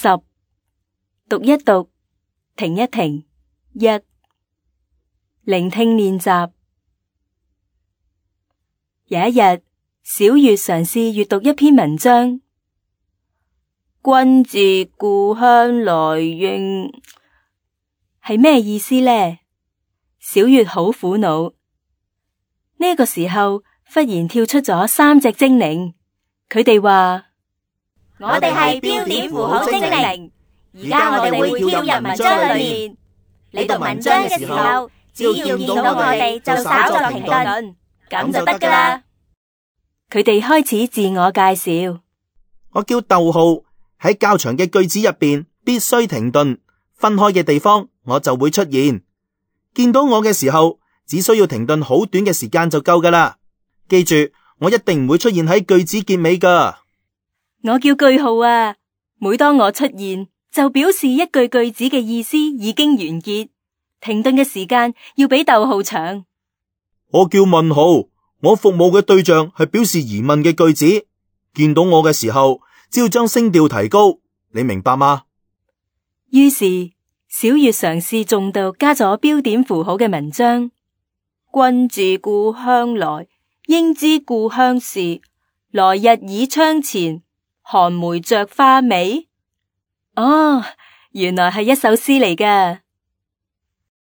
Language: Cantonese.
10，讀一讀，停一停。1，聆聽練習。有一日，小月嘗試閱讀一篇文章。君自故鄉來應，係咩意思呢？小月好苦惱。呢個時候，忽然跳出咗3隻精靈，佢哋話：我哋係標點符號精靈，而家我哋會跳入文章裏面。你讀文章嘅時候，只要見到我哋就稍作停頓，咁就得㗎喇。佢哋開始自我介紹。我叫逗號，喺較長嘅句子入邊必須停頓，分開嘅地方我就會出現。見到我嘅時候，只需要停頓好短嘅時間就夠㗎喇。記住，我一定唔會出現喺句子結尾㗎。我叫句號啊，每當我出現，就表示一句句子嘅意思已經完結，停頓嘅時間要比逗號長。我叫問號，我服務嘅對象係表示疑問嘅句子。見到我嘅時候，只要將聲調提高，你明白嗎？於是小月嘗試重讀加咗標點符號嘅文章。君自故鄉來，應知故鄉事。來日倚窗前，寒梅著花未？哦，原來係一首詩嚟㗎。